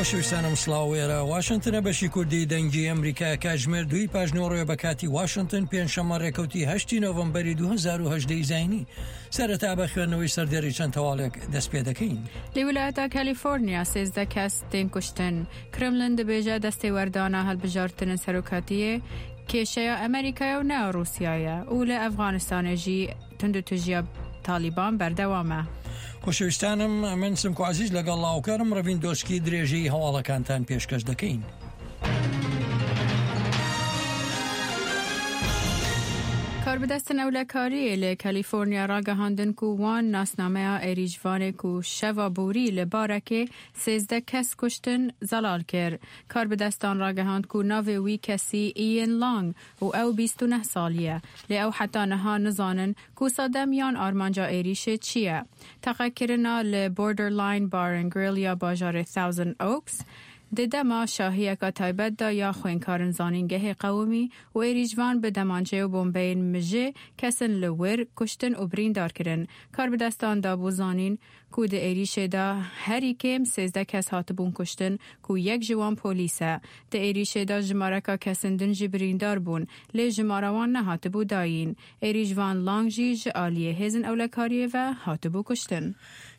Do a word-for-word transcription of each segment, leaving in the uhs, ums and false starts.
شویستانم سڵاو، ئێرە واشنگتنە، بەشی کوردی دەنگی ئەمریکا، کاتژمێر دووی پاش نۆ ڕێ بە کاتی واشنگتن، پێنجشەممە ڕێکەوتی هەشتی نۆڤەمبەری دوو هەزار و هەژدە زینی. سەرەتا بە خوێندنەوەی سەردێڕی چەند تەواڵێک دەست پێ دەکەین. لە ویلایەتە کالیفۆرنیا سێزدە کەس تێن کوشتن. کرملن دەبێژە دەستێ وەردانە هەڵبژاردنە سەرۆکاتیە کێشەیە ئەمریکایە و نە ڕووسیایە و لە ئەفغانستانێژی تونند و تژیا تالیبان بەردەوامە. خۆشەویستانم، من سمکۆ عزیز لەگەڵ لاوکەرم ڕەڤین دۆسکی درێژەی هەواڵەکانتان پێشکەش دەکەین. کاربدەستن ئەولەکاریە لە کالیفۆرنیا ڕاگەهاندن و وان ناسنامەیە ئێریژوانێک و شەوا بووری لە بارەکێ سێزدە کەس کوشتن زەلال کرد. کاربدەستان ڕاگەهاند و ناوێ وی کەسی ئیەن لانگ و ئەو بیست و نەه ساڵیە. لێ ئەو حتا نەها نزانن کو سەدەم یان ئارمانجا ئێریشێ چییە. تەقەکردنا لە Borderline Bar and Grill یا باژارێ Thousand Oaks، دە دەما شاهیەکە تایبەتدا یا خوێنکارن زانینگەهێ قەومی و ئێریژوان بە دەمانچەیە و بۆمبەین مژێ کەسن لە ور کوشتن و بریندار کرن. کاربدەستان دابوو زانین کو دە ئێریشێدا هەری کێم سێزدە کەس هاتبوون کوشتن، کو یەک ژوان پۆلیسە. دە ئێریشێدا ژمارەکە کەسن دن جی بریندار بوون، لێ ژمارەوان نەهاتبوو دایین. ئێریژوان لانگ ژی ژ ئالیە هێزن ئەولەکاریە ڤە هاتبوو کوشتن.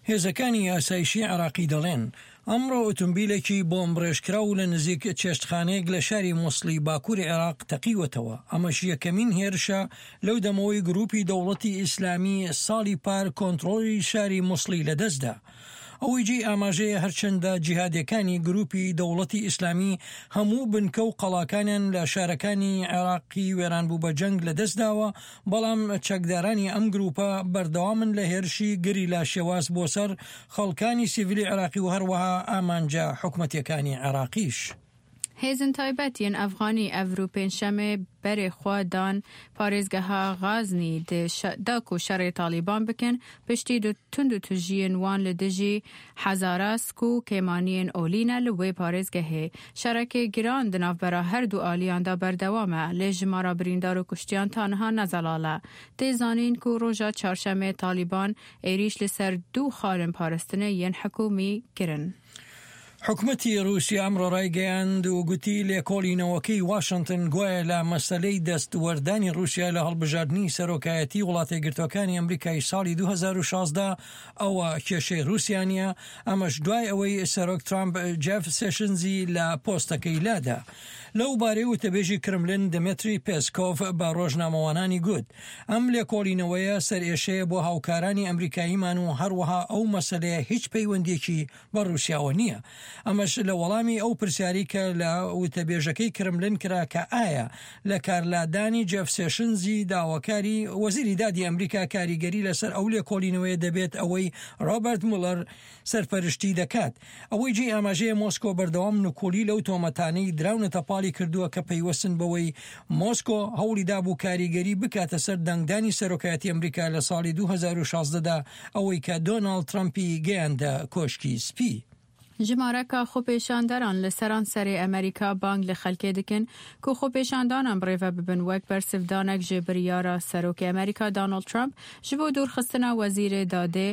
هێزەکانی ئاسایشی عێراقی دەڵێن ئەمڕۆ ئۆتۆمبیلێکی بۆمبڕێژکراو لە نزیک چێشتخانەیەک لە شاری موسڵی باکووری عێراق تەقیوەتەوە. ئەمەش یەکەمین هێرشە لەو دەمەوەی گروپی دەوڵەتی ئیسلامی ساڵی پار کۆنترۆلی شاری موسڵی لەدەستدا. ئەوەی جێی ئاماژەیە، هەرچەندە جیهادیەکانی گروپی دەوڵەتی ئیسلامی هەموو بنکە و قەڵاکانیان لە شارەکانی عێراقی وێران بوو بە جەنگ لەدەستداوە، بەڵام چەکدارانی ئەم گروپە بەردەوامن لە هێرشی گریلا شێواز بۆ سەر خەڵکانی سیڤیلی عێراقی و هەروەها ئامانجە حکومەتیەکانی عێراقیش. هێزن تایبەتیان ئەفغانی ئەڤرو پێنجشەمێ بەرێ خوا دان پارێزگەها غازنی دە شە-، دا کو شەڕێ تالیبان بکەن، پشتی دو تند و تژیین وان لە دژی حەزاراسک و کێمانیین ئۆلینە لە وێ پارێزگەهێ. شەڕەکێ گران دناوبەرا هەردوو ئالیاندا بەردەوامە، لێ ژمارە بریندار و کوشتیان تانها نەزەڵالە. تێزانین کو ڕۆژا چارشەمێ تالیبان ئێریش لەسەر دوو خالن پارستنە یەن حکومی کرن. حکومەتی رووسیا ئەمڕۆ ڕایگەیاند و گوتی لێکۆڵینەوەکەی واشنگتن گوایە لە مەسەلەی دەست وەردانی رووسیا لە هەڵبژاردنی سەرۆکایەتی وڵاتە گرتوەکانی ئەمریکای ساڵی دوو هەزار و شازدە ئەوە کێشەی رووسیا نیە. ئەمەش دوای ئەوەی سەرۆک ترامپ جێف سێشنزی لە پۆستەکەی لادا. لەو بارەی وتەبێژی کرملین دمتری پێسکۆڤ بە ڕۆژنامەوانانی گوت ئەم لێکۆڵینەوەیە سەرئێشەیە بۆ هاوکارانی ئەمریکاییمان و هەروەها ئەو مەسەلەیە هیچ پەیوەندیەکی بە رووسیاوە نییە. ئەمەش لە وەڵامی ئەو پرسیاری کە لە وتەبێژەکەی کرملین کرا کە ئایا لە کارلادانی جێف سێشنزی داواکاری وەزیری دادی ئەمریکا کاریگەری لەسەر ئەو لێکۆڵینەوەیە دەبێت ئەوەی ڕۆبەرت مولەر سەرپەرشتی دەکات. ئەوەی جێی ئاماژەیە مۆسکۆ بەردەوام نکوڵی لەو تۆمەتانەی دراونەتە پاڵی کردووە کە پەیوەستن بەوەی مۆسکۆ هەوڵی دابوو کاریگەری بکاتە سەر دەنگدانی سەرۆکایەتی ئەمریکا لە ساڵی دوو هەزار و شازدە دا، ئەوەی کە دۆناڵد ترەمپی گەیاندە کۆشکی سپی. ژمارەکە خۆپێشاندەران لە سەرانسەرێ ئەمریکا بانگ لە خەلکێ دکن کو خۆپێشاندانان بڕێوە ببن وەک بەرسڤدانەک ژێ بریارە سەرۆکی ئەمریکا دانۆڵد ترامپ ژ بۆ دوورخستنە وەزیرێ دادێ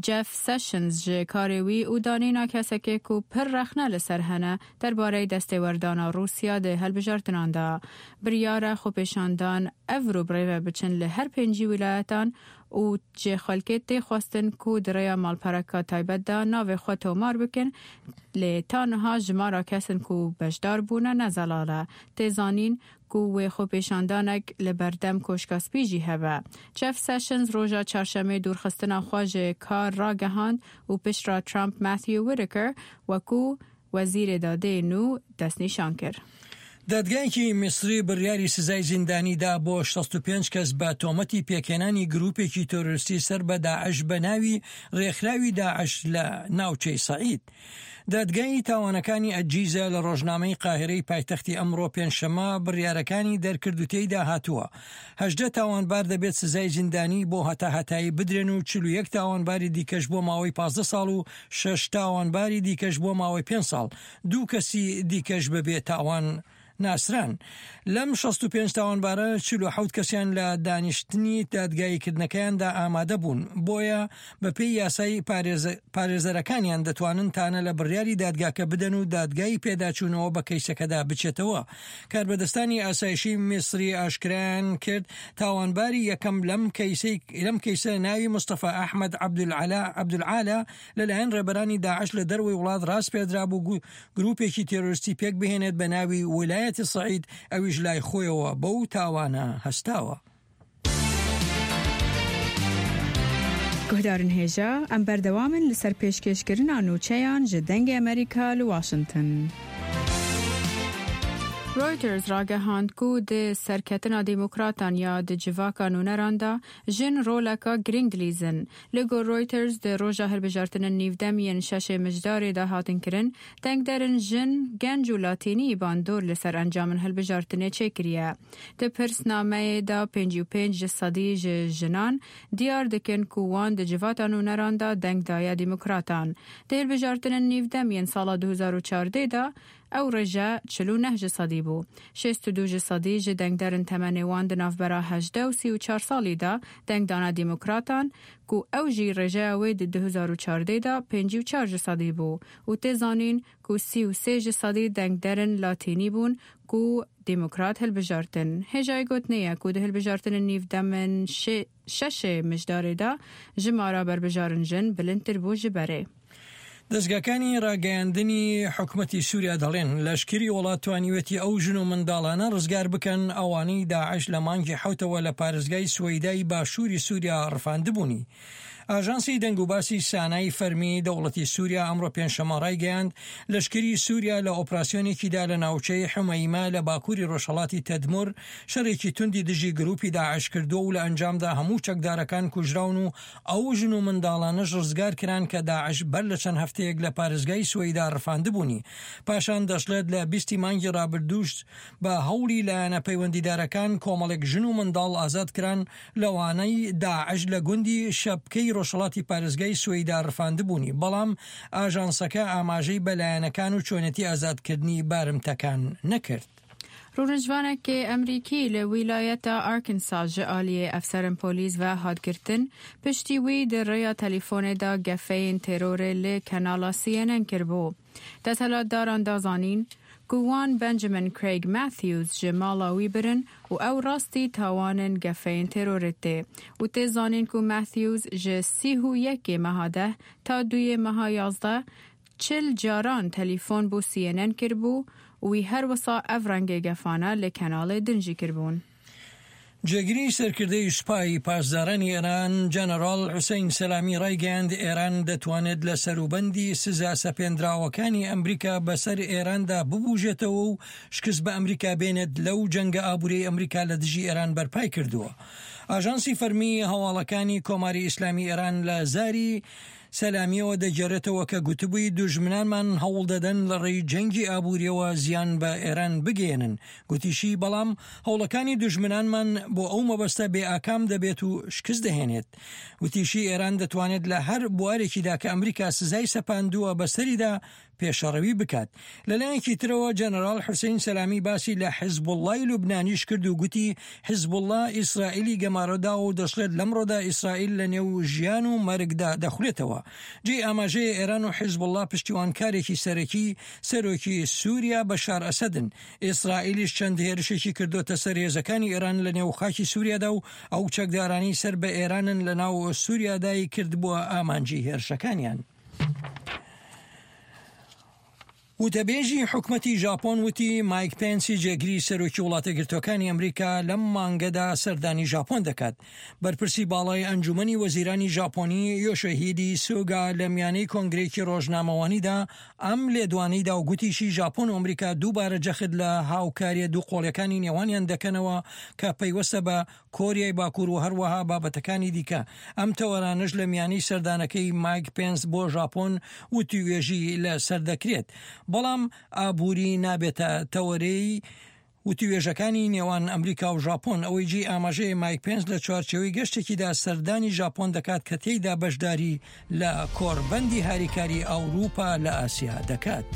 جێف سێشنز ژێ کارێ وی و دانینا کەسەکێ کو پر ڕەخنە لەسەر هەنە دەربارەی دەستێوەردانە رووسیا دێ هەلبژاردناندا. بریارە خۆپێشاندان ئەڤرو بڕێوە بچن لە هەر پێنجی ویلایەتان و جێ خەلکێ تێخواستن کو دڕێیا ماڵپەرەکە تایبەتدا ناوێ خۆ تۆمار بکن، لێ تا نها ژمارە کەسن کو بەشدار بوونە نەزەڵالە. تێزانین کو وێ خۆپێشاندانەک لە بەردەم کۆشکا سپی ژی هەبە. جێف سێشنز ڕۆژا چارشەمێ دوورخستنە خوا ژێ کار ڕاگەهاند و پشترا ترامپ ماثیو ویتکر وەکو وەزیرێ دادێ نو دەستنیشان کرد. دادگایەکی میسری بڕیاری سزای زیندانی دا بۆ شەست و پێنج کەس بە تۆمەتی پێکهێنانی گروپێکی تۆرۆریستی سەر بە داعش بە ناوی ڕێکخراوی داعش لە ناوچەی سەعید. دادگای تاوانەکانی ئەجیزە لە ڕۆژنامەی قاهرەی پایتەختی ئەمڕۆ پێنجشەمە بڕیارەکانی دەرکرد و تێیدا هاتووە هەژدە تاوانبار دەبێت سزای زیندانی بۆ هەتا هەتایی بدرێن و چل و یەک تاوانباری دیکەش بۆ ماوەی پازدە ساڵ و شەش تاوانباری دیکەش بۆ ماوەی پێنج ساڵ، دوو کەسی دیکەش بەبێ تاوان ناسران. لەم شەست و پێنج تاوانبارە چل و حەوت کەسیان لە دانیشتنی دادگاییکردنەکەیاندا ئامادە بوون، بۆیە بە پێی یاسای پارێزە-، پارێزەرەکانیان دەتوانن تانە لە بڕیاری دادگاکە بدەن و دادگای پێداچوونەوە بە کەیسەکەدا بچێتەوە. کاربەدەستانی ئاسایشی میسری ئاشکرایان کرد تاوانباری یەکەم لەم کەیسەی، لەم کەیسە ناوی مستەفا ئەحمەد عەبدولعەلا، عەبدولعالا، لەلایەن ڕێبەرانی داعش لە دەروەی وڵات ڕاست پێدرا بوو گو-، گروپێکی تێرۆریستی پێک بهێنێت بە ناوی ویلایەتی سەعید، ئەویش لای خۆیەوە بەو تاوانە هەستاوە. Guhdarên hêja, em berdewam in li ser pêşkêşkirina nûçeyan ji Dengê Amerîka li Washington. Reuters ragehand ku di serketina demokratan ya di civaka nûneran de jin roleka girîng dilîzin. Li gor Reuters, di roja hilbijartinên nîvdem yên şeşê Mijdarê de hatin kirin, dengderên jin, genc û latînî bandor li ser encamên hilbijartinê çêkiriye. Di pirsnameyê de pêncî û pênc ji sedî ji jinan diyar dikin ku wan di civata nûneran de deng daye demokratan. Di hilbijartinên nîvdem yên sala du hezar û çardeh de ew rêje çil û neh ji sedî bû. Şêst û du ji sedî ji dengderên temenê wan di navbera hejdeh û sî û çar salî de deng dane demokratan, ku ew jî rêjeya wê di du hezar û çardeh de pêncî û çar ji sedî bû û tê zanîn ku sî û sê ji sedî dengderên latînî bûn ku demokrat hilbijartin. Hêjayê gotinê ye ku di hilbijartinên nîvdemên şê-, şeşê Mijdarê de jimara berbijarên jin bilindtir bû ji berê. دەستگاکانی ڕاگەیاندنی حکومەتی سووریا دەڵێن لەشکری وڵات توانیوێتی ئەو ژن و منداڵانە ڕزگار بکەن، ئەوانەی داعش لە مانگی حەوتەوە لە پارێزگای سوەیدای باشووری سووریا ڕفاندبوونی. ئاژانسی دەنگ و باسی سانای فەرمی دەوڵەتی سووریا ئەمڕۆ پێنجشەممە ڕایگەیاند، لەشکری سووریا لە ئۆپراسیۆنێکیدا لە ناوچەی حمەیمە لە باکووری ڕۆژهەڵاتی تەدمور شەڕێکی توندی دژی گروپی داعش کردووە و لە ئەنجامدا هەموو چەکدارەکان کوژراون و ئەو ژن و منداڵانەش ڕزگار کران کە داعش بەر لە چەند هەفتەیەک لە پارێزگای سوەیدا ڕفاندبوونی. پاشان دەشڵێت لە بیستی مانگی ڕابردووش بە هەوڵی لایەنە پەیوەندیدارەکان کۆمەڵێک ژن و منداڵ ئازاد کران، لەوانەی داعش لە گوندی شەپکەی ڕۆژهەڵاتی پارێزگای سوەیدا ڕفاندبوونی، بەڵام ئاژانسەکە ئاماژەی بە لایەنەکان و چۆنێتی ئازادکردنی بارمتەکان نەکرد. Rûnişvanekê Emerîkî li wîlayeta Arkansas ji aliyê efserên polîs ve hat girtin, piştî wî di rêya telîfonê de gefeyên terorê li kanala C N N kiribû. Desthilatdaran da zanîn ku wan Benjamin Craig Matthews ji mala wî birin û ew rastî tawanên gefeyên terorê tê û tê zanîn ku Matthews ji sî û yekê meha deh ta duyê meha yazdeh çil caran telîfon bo C N N kiribû û wî her wisa ev rengê gefane li kenalê din jî kiribûn. جێگری سەرکردەی سوپای پاسدارانی ئێران، جەنەرال حوسەین سەلامی، ڕایگەیاند ئێران دەتوانێت لە سەروبەندی سزا سەپێندراوەکانی ئەمریکا بەسەر ئێراندا ببوژێتەوە و شکست بە ئەمریکا بێنێت لەو جەنگە ئابووری ئەمریکا لە دژی ئێران بەرپای کردووە. ئاژانسی فەرمی هەواڵەکانی کۆماری ئیسلامی ئێران لە زاری سەلامیەوە دەگێڕێتەوە کە گوتبووی، دوژمنانمان هەوڵ دەدەن لە ڕێی جەنگی ئابووریەوە زیان بە ئێران بگەیەنن. گوتیشی، بەڵام هەوڵەکانی دوژمنانمان بۆ ئەو مەبەستە بێ ئاکام دەبێت و شکست دەهێنێت. وتیشی، ئێران دەتوانێت لە هەر بوارێکیدا کە ئەمریکا سزای سەپاندووە بەسەریدا پێشەڕەوی بکات. لەلایەکی ترەوە، جەنەرال حوسەین سەلامی باسی لە حیزبوڵڵای لوبنانیش کرد و گوتی، حیزبوڵڵا ئیسرائیلی گەمارۆدا و دەشڵێت لەمڕۆدا ئیسرائیل لە نێو ژیان و مەرگدا دەخولێتەوە. جێی ئاماژەیە، ئێران و حیزبوڵڵا پشتیوانکارێکی سەرەکی سەرۆکی سووریا بەشار ئەسەدن. ئیسرائیلیش چەند هێرشێکی کردوتە سەر هێزەکانی ئێران لە نێو خاکی سووریادا و ئەو چەکدارانی سەر بە ئێرانن لە ناو سووریادای کردبووە ئامانجی هێرشەکانیان. وتەبێژی حکومەتی ژاپۆن وتی، مایک پێنسی جێگری سەرۆکی وڵاتە گرتوەکانی ئەمریکا لەم مانگەدا سەردانی ژاپۆن دەکات. بەرپرسی باڵای ئەنجومەنی وەزیرانی ژاپۆنی، یۆشۆهیدی سوگا، لە میانەی کۆنگرێکی ڕۆژنامەوانیدا ئەم لێدوانەی دا و گوتیشی، ژاپۆن و ئەمریکا دووبارە جەخت لە هاوکاریە دوو قۆڵیەکانی نێوانیان دەکەنەوە کە پەیوەستە بە کۆریای باکوور و هەروەها بابەتەکانی دیکە. ئەم تەوەرانەش لە میانی سەردانەکەی مایک پێنس بۆ ژاپۆن وتیوێژی لە سەر دەکرێت، بەڵام ئابووری نابێتە تەوەرەی وتیوێژەکانی نێوان ئەمریکا و ژاپۆن. ئەوەی جێی ئاماژەیە، مایک پێنس لە چوارچێوەی گەشتێکیدا سەردانی ژاپۆن دەکات کە تێیدا بەشداری لە کۆڕبەندی هاریکاری ئەوروپا لە ئاسیا دەکات.